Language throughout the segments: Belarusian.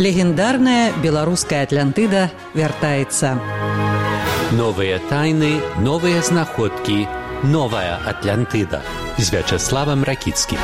Легендарная беларуская Атлантыда вяртаецца. Новыя тайны, новыя знаходкі, новая Атлантыда з Вячеславам Ракіцкім.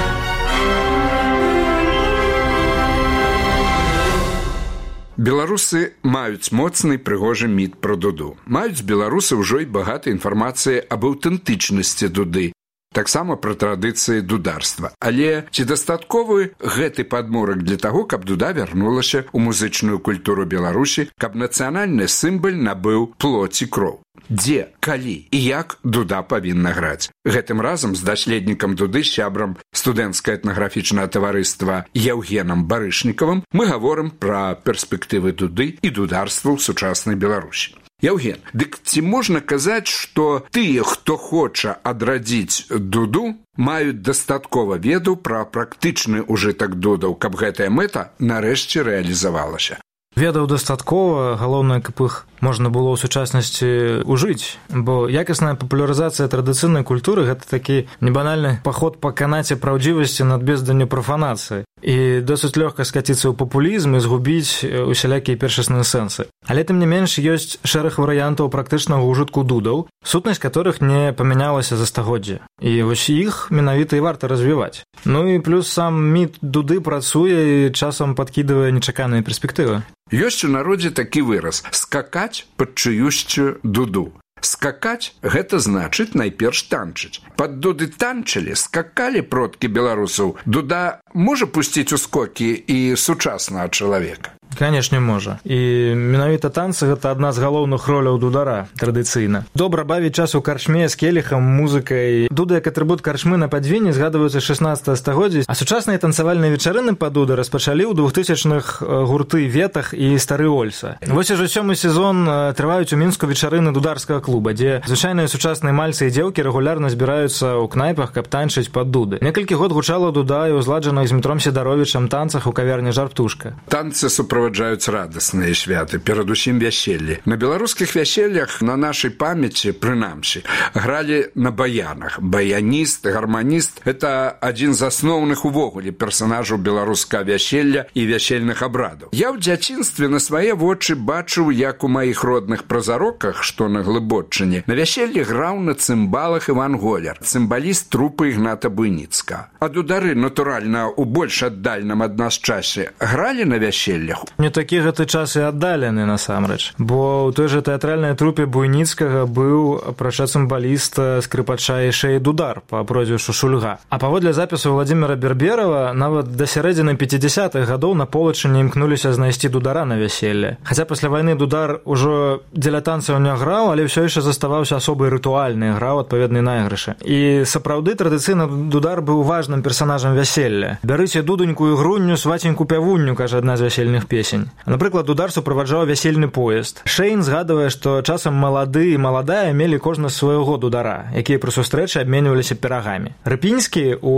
Беларусы маюць моцны прыгожы міт пра дуду. Маюць беларусы ўжо і багата інфармацыі аб аўтэнтычнасці дуды, таксама пра традыцыі дударства. Але ці дастатковы гэты падмурак для таго, каб дуда вярнулася ў музычную культуру Беларусі, каб нацыянальны сімвал набыў плоць і кроў? Дзе, калі і як дуда павінна граць? Гэтым разам з даследнікам дуды, сябрам студэнцкае этнаграфічнае таварыства Яўгенам Барышнікавым мы гаворым пра перспектывы дуды і дударства ў сучаснай Беларусі. Яўген, дык ці можна казаць, што тыя, хто хоча адрадзіць дуду, маюць дастаткова ведаў пра практычны ўжытак дудаў, каб гэтая мэта нарэшце рэалізавалася? Ведаў дастаткова, галоўнае, каб іх можна было ў сучаснасці ўжыць, бо якасная папулярызацыя традыцыйнай культуры – гэта такі небанальны паход па канаце праўдзівасці над безданню прафанацыі. І досыць лёгка скаціцца ў папулізм і згубіць усялякія першасныя сэнсы. Але тым не менш ёсць шэраг варыянтаў практычнага ўжытку дудаў, сутнасць которых не памянялася за стагоддзі. І вось іх менавіта і варта развіваць. Ну і плюс сам міт дуды працуе і часам падкідвае нечаканыя перспектывы. Ёсць у народзе такі выраз – скакаць пад чыюсьцю дуду. Скакаць – гэта значыць найперш танчыць. Пад дуды танчылі, скакалі продкі беларусаў. Дуда можа пусціць у скокі і сучаснага чалавека? Канешне, можа. І менавіта танцы – гэта адна з галоўных роляў дудара традыцыйна. Добра бавіць час у карчме з келіхам, музыкай. Дуда як атрыбут карчмы на падвіне згадваюцца 16 стагоддзя, а сучасныя танцавальныя вечарыны па дуды распачалі ў 2000-х гурты Ветах і Стары Ольса. Вось ужо 7-й сезон трываюць у Мінску вечарыны дударскага клуба, дзе звычайныя сучасныя мальцы і дзеўкі рэгулярна збіраюцца ў кнайпах, каб танчыць пад дуды. Некалькі год гучала дуда і ўзладжаных з Дмітром Сідаровічам танцах у кавярні «Жар-птушка». Танцы суправаджаюць радасныя святы, перадусім вяселлі. На беларускіх вяселлях, на нашай памяці, прынамсі, гралі на баянах. Баяніст, гарманіст – гэта адзін з асноўных увогуле персанажаў беларускага вяселля і вясельных абрадаў. Я ў дзяцінстве на свае вочы бачыў, як у маіх родных празароках, што на Глыбоччыне, на вяселлі граў на цымбалах Іван Голяр, цымбаліст трупы Ігната Буйніцкага. А дудары, натуральна, у больш аддальным ад нас часе гралі на вяселлях? Не такі гэты час і аддалены, насамрэч. Бо ў той жа тэатральнай трупе Буйніцкага быў, апрача цымбаліста, скрыпача яшчэ і дудар па прозвішчу Шульга. А паводле запісу Владзіміра Берберава, нават да сярэдзіны 50-х гадоў на Полачыне імкнуліся знайсці дудара на вяселле. Хаця пасля вайны дудар ужо дзеля танцаў не граў, але ўсё яшчэ заставаўся асобай рытуальнай, граў адпаведныя найгрышы. І сапраўды традыцыйна дудар быў важным персанажам вяселля. «Бярыце дудуньку і грунню, сваценьку пявунню», кажа адна з вясельных песень. Напрыклад, дудар суправаджаў вясельны поезд. Шэйн згадвае, што часам малады і маладая мелі кожны свайго дудара, якія пры сустрэчы абменьваліся пірагамі. Рыпінскі у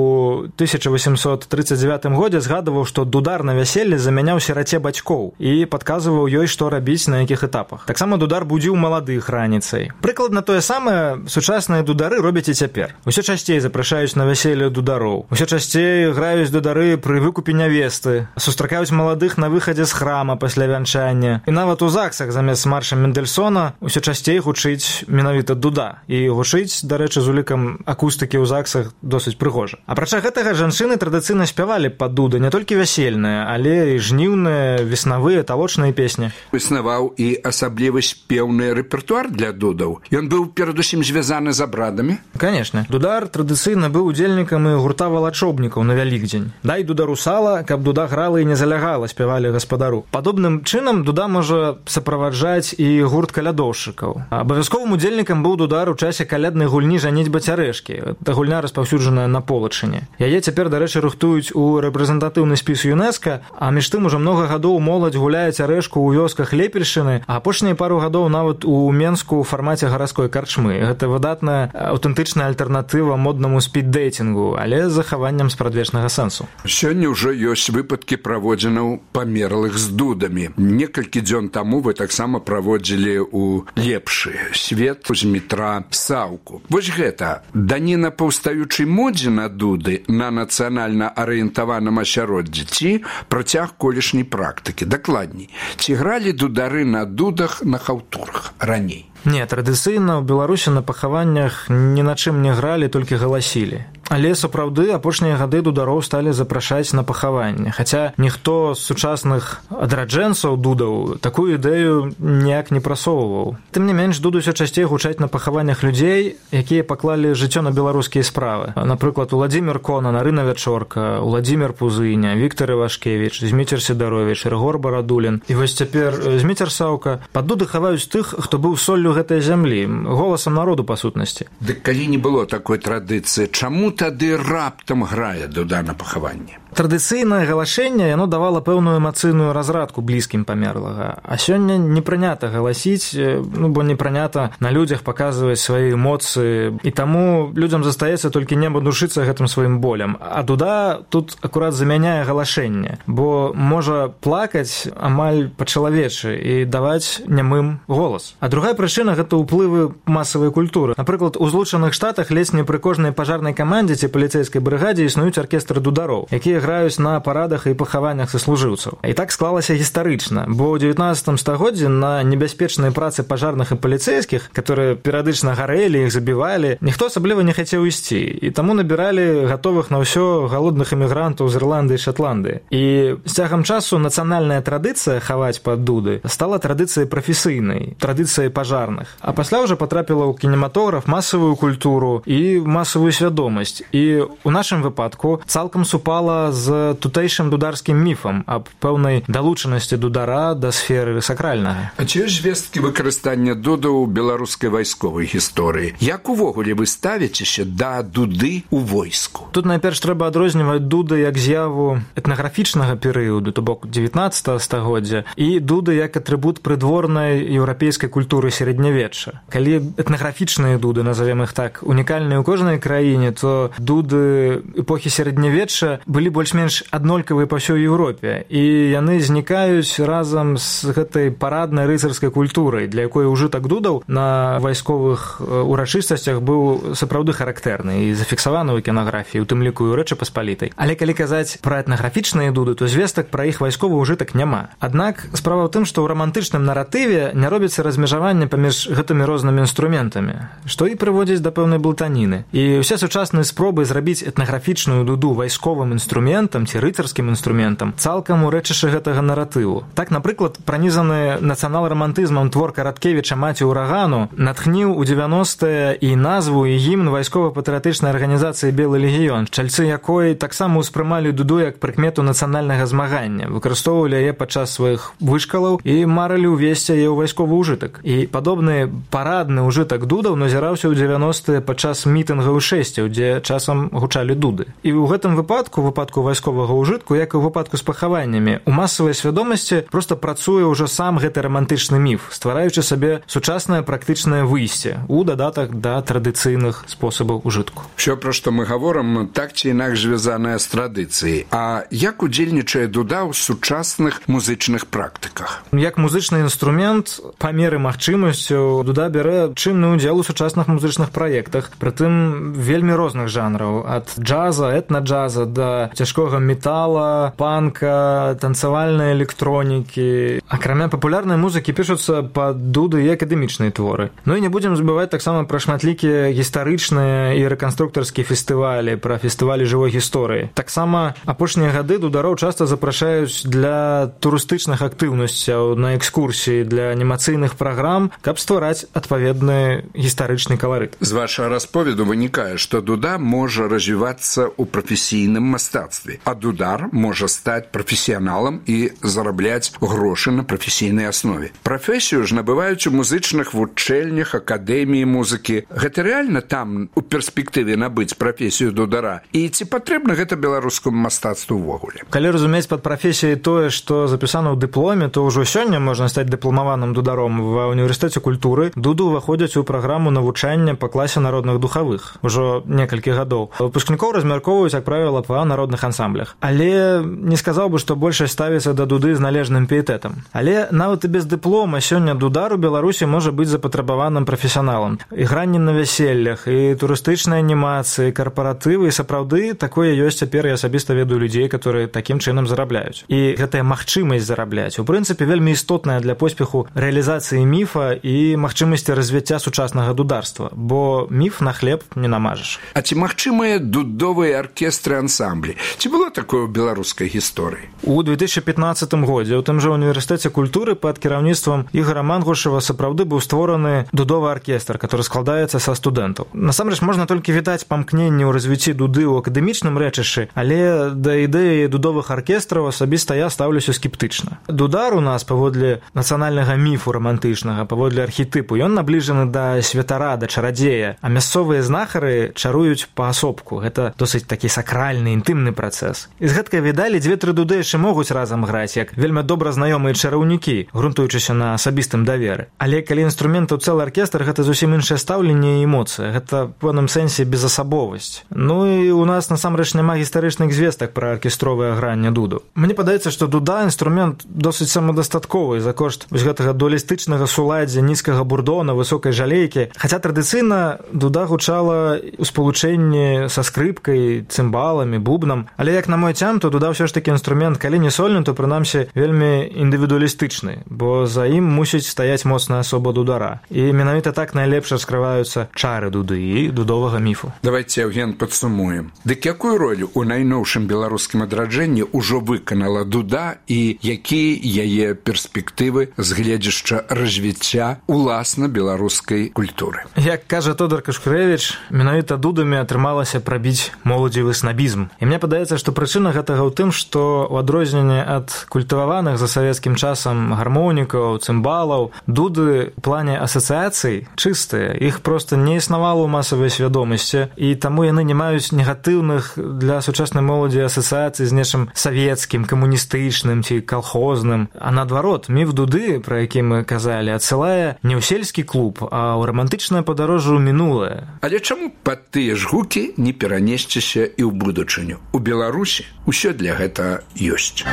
1839 годзе згадваў, што дудар на вяселле замяняў сіраце бацькоў і падказваў ёй, што рабіць на якіх этапах. Таксама дудар будзіў маладых раніцай. Прыкладна тое самае сучасныя дудары робяць і цяпер. Усё часцей запрашаюць на вяселле дудароў. Усё часцей граюць дудары пры выкупе нявесты. Сустракаюць маладых на выхадзе з храма пасля вянчання. І нават у ЗАГСах замест марша Мендельсона усё часцей гучыць менавіта дуда. І гучыць, дарэчы, з улікам акустыкі ў ЗАГСах досыць прыгожа. Апрача гэтага, жанчыны традыцыйна спявалі пад дуды не толькі вясельныя, але і жніўныя, веснавыя, талочныя песні. Існаваў і асаблівы спеўны рэпертуар для дудаў. Ён быў перадусім звязаны з абрадамі? Канешне. Дудар традыцыйна быў удзельнікам і гурта валачобнікаў на Вялікдзень. «Дай дудару сала, каб дуда грала і не залягала», спявалі гаспадару. Падобным чынам дуда можа суправаджаць і гурт калядоўшчыкаў. Абавязковым удзельнікам быў дудар у часе каляднай гульні «Жаніцьба цярэшкі». Гэта гульня распаўсюджаная на Полачыне. Яе цяпер, дарэчы, рыхтуюць у рэпрэзентатыўны спіс ЮНЕСКА, а між тым ужо многа гадоў моладзь гуляе цярэшку ў вёсках Лепельшчыны, а апошнія пару гадоў нават у Менску ў фармаце гарадской карчмы. Гэта выдатная аўтэнтычная альтэрнатыва моднаму спіддейтингу, але з захаваннем спрадвечнага сэнсу. Сёння ўжо ёсць выпадкі праводзінаў памерлых вясковых з дудамі. Некалькі дзён таму вы таксама праводзілі ў лепшы свет Змітра Саўку. Вось гэта даніна паўстаючай модзе на дуды на нацыянальна арыентаваным асяроддзі ці працяг колішняй практыкі. Дакладней, ці гралі дудары на дудах на хаўтурах раней? Не, традыцыйна ў Беларусі на пахаваннях ні на чым не гралі, толькі галасілі. Але, сапраўды, апошнія гады дудароў сталі запрашаць на пахаванне. Хаця ніхто з сучасных адраджэнцаў дудаў такую ідэю ніяк не прасоўваў. Тым не менш, дуды ўсё часцей гучаць на пахаваннях людзей, якія паклалі жыццё на беларускія справы. Напрыклад, Уладзімір Конан, Арына Вячорка, Уладзімір Пузыня, Віктар Івашкевіч, Зміцер Сідаровіч, Рыгор Барадулін. І вось цяпер Зміцер Саўка. Пад дуды хаваюць тых, хто быў соллю гэтай зямлі, голасам народу, па сутнасці. Дык калі не было такой традыцыі, чаму тады раптам грае дуда на пахаванне? Традыцыйнае галашэнне, яно давала пэўную эмацыйную разрадку блізкім памерлага. А сёння не прынята галасіць, бо не прынята на людзях паказваць свае эмоцыі. І таму людзям застаецца толькі неба душыцца гэтым сваім болем. А дуда тут акурат замяняе галашэнне, бо можа плакаць амаль па-чалавечы і даваць нямым голас. А другая прычына – гэта ўплывы масавай культуры. Напрыклад, у Злучаных Штатах ледзь не пры кожнай пажарнай камандзе ці паліцэйскай брыгадзе існуюць аркестры дудароў, якія граюць на парадах і пахаваннях саслужыўцаў. І так склалася гістарычна, бо ў 19 стагоддзі на небяспечнай працы пажарных і паліцэйскіх, которые перыядычна гарэлі, іх забівалі, ніхто асабліва не хацеў ісці. І таму набіралі гатовых на ўсё галодных эмігрантаў з Ірландыі і Шатландыі. І з цягам часу нацыянальная традыцыя хаваць пад дуды стала традыцыяй прафесійнай, традыцыяй пажарных. А пасля ўжо потрапіла ў кінематограф, масавую культуру і масавую свядомасць. І ў нашым выпадку цалкам супала з тутэйшым дударскім міфам аб пэўнай далучанасці дудара да сферы сакральнага. А ці ёсць звесткі выкарыстання дудаў у беларускай вайсковай гісторыі? Як увогуле вы ставіцеся да дуды ў войску? Тут найперш трэба адрозніваць дуды як з'яву этнаграфічнага перыяду, то бок 19 стагоддзя, і дуды як атрыбут прыдворнай еўрапейскай культуры сярэднявечча. Калі этнаграфічныя дуды, назовем іх так, унікальныя ў кожнай краіне, то дуды эпохі сярэднявечча былі больш-менш аднолькавыя па ўсёй Еўропе, і яны знікаюць разам з гэтай параднай рыцарскай культурай, для якой ужытак дудаў на вайсковых урачыстасцях быў сапраўды характэрны і зафіксаваны ў кінаграфіі, у тым ліку і ў Рэчы Паспалітай. Але калі казаць пра этнаграфічныя дуды, то звестак пра іх вайсковы ўжытак няма. Аднак справа ў тым, што ў рамантычным наратыве не робіцца размежаванне паміж гэтымі рознымі інструментамі, што і прыводзіць да пэўнай блытаніны. І ўсе сучасныя спробы зрабіць этнаграфічную дуду вайсковым інструментам ці рыцарскім інструментам цалкам урэчышы гэтага наратыву. Так, напрыклад, пранізаны нацыянал-рамантызмам твор Караткевіча «Маці ўрагану» натхніў у 90-е і назву і гімн вайскова-патрыятычнай арганізацыі «Белы легіён», чальцы якой таксама ўспрымалі дуду як прыкмету нацыянальнага змагання, выкарыстоўвалі яе падчас сваіх вышкалаў і марылі ўвесці яе ў вайсковы ўжытак. І падобны парадны ўжытак дудаў назіраўся ў 90-е падчас мітынгаў шэсцяў, дзе часам гучалі дуды. І ў гэтым выпадку вайсковага ўжытку, як і ў выпадку з пахаваннямі, у масавай свядомасці проста працуе ўжо сам гэты рамантычны міф, ствараючы сабе сучаснае практычнае выйсце у дадатак да традыцыйных спосабаў ужытку. Усё, пра што мы гаворым, так ці інакш звязанае з традыцыяй. А як удзельнічае дуда ў сучасных музычных практыках? Як музычны інструмент, па меры магчымасцяў, дуда бярэ чынны ўдзел у сучасных музычных праектах, прытым вельмі розных жанраў, ад джаза, этна-джаза да цяжкога метала, панка, танцавальнай электронікі. Акрамя папулярнай музыкі пішуцца пад дуды і акадэмічныя творы. Ну і не будзем забываць таксама пра шматлікія гістарычныя і рэканструкторскія фестывалі, пра фестывалі жывой гісторыі. Таксама апошнія гады дудароў часта запрашаюць для турыстычных актыўнасцяў, на экскурсіі, для анімацыйных праграм, каб ствараць адпаведны гістарычны каларыт. З вашага расповеду вынікае, што дуда можа развівацца ў прафесійным мастацтве, а дудар можа стаць прафесіяналам і зарабляць грошы на прафесійнай аснове. Прафесію ж набываюць у музычных вучэльнях, акадэміі музыкі. Гэта рэальна там у перспектыве набыць прафесію дудара? І ці патрэбна гэта беларускаму мастацтву ўвогуле? Калі разумець пад прафесіяй тое, што запісана ў дыпломе, то ўжо сёння можна стаць дыпламаваным дударом. Ва універсітэце культуры дуды ўваходзяць у праграму навучання па класе народных духавых. Ужо некалькі гадоў. Выпускнікоў размяркоўваюць, як правіла, па народных вакальных ансамблях. Але не сказаў бы, што большасць ставіцца да дуды з належным піетэтам. Але нават і без дыплома сёння дудар у Беларусі можа быць запатрабаваным прафесіяналам. Ігранне на вяселлях, і турыстычныя анімацыі, карпаратывы, і сапраўды такое ёсць цяпер, я асабіста ведаю людзей, которые такім чынам зарабляюць. І гэтая магчымасць зарабляць, у прынцыпе, вельмі істотная для поспеху рэалізацыі міфа і магчымасці развіцця сучаснага дударства, бо міф на хлеб не намажаш. А ці магчымыя дудовыя аркестры ансамблі? Ці было такое ў беларускай гісторыі? У 2015 годзе у тым жа універсітэце культуры пад кіраўніцтвам Ігора Мангушева сапраўды быў створаны дудовы аркестр, который складаецца са студэнтаў. Насамрэч можна толькі вітаць памкненне ў развіцці дуды ў акадэмічным рэчышчы, але да ідэі дудовых аркестраў асабіста я стаўлюся скептычна. Дудар у нас паводле нацыянальнага міфу рамантычнага, паводле архетыпу, ён набліжаны да святара, да чарадзея, а мясцовыя знахары чаруюць паасобку. Гэта досыць такі сакральны, інтымны працэс. І з гэткай відалі 2-3 дуды яшчэ могуць разам граць, як вельмі добра знаёмыя чараўнікі, грунтуючыся на асабістым даверы. Але калі інструмент у цэлы аркестр, гэта зусім іншае стаўленне і эмоцыя. Гэта в пэўным сэнсе безасабовасць. Ну і у нас насамрэч няма гістарычных звестак пра аркестровае гранне дуду. Мне падаецца, што дуда інструмент досыць самадастатковы за кошт вось гэтага дуалістычнага суладдзя, нізкага бурдона, высокай жалейкі. Хаця традыцыйна дуда гучала ў спалучэнні са скрыпкай, цымбаламі, бубнам. Але як на мой цям, то дуда ўсё ж такі інструмент, калі не сольны, то прынамсі вельмі індывідуалістычны, бо за ім мусіць стаяць моцная асоба дудара. І менавіта так найлепш раскрываюцца чары дуды і дудовага міфу. Давайте, Евген, падсумуем. Дык якую ролю ў найноўшым беларускім адраджэнні ўжо выканала дуда і якія яе перспектывы з гледзяшча развіцця уласна беларускай культуры? Як кажа Тодар Кашкурэвіч, менавіта дудамі атрымалася прабіць моладзевы снабізм. І мне падаецца, што прычына гэтага ў тым, што ў адрозненне ад культываваных за савецкім часам гармонікаў, цымбалаў, дуды ў плане асацыяцый чыстыя. Іх проста не існавала ў масавай свядомасці, і таму яны не маюць негатыўных для сучаснай моладзі асацыяцый з нечым савецкім, камуністычным ці калхозным. А наадварот, міф дуды, пра які мы казалі, адсылае не ў сельскі клуб, а ў рамантычнае падарожжа ў мінулае. Але чаму пад тыя ж гукі не перанесціся і ў будучыню? У Беларусі ўсё для гэта ёсць.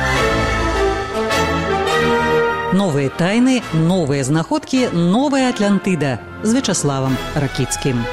Новыя тайны, новыя знаходкі, новая Атлантыда з Вячаславам Ракіцкім.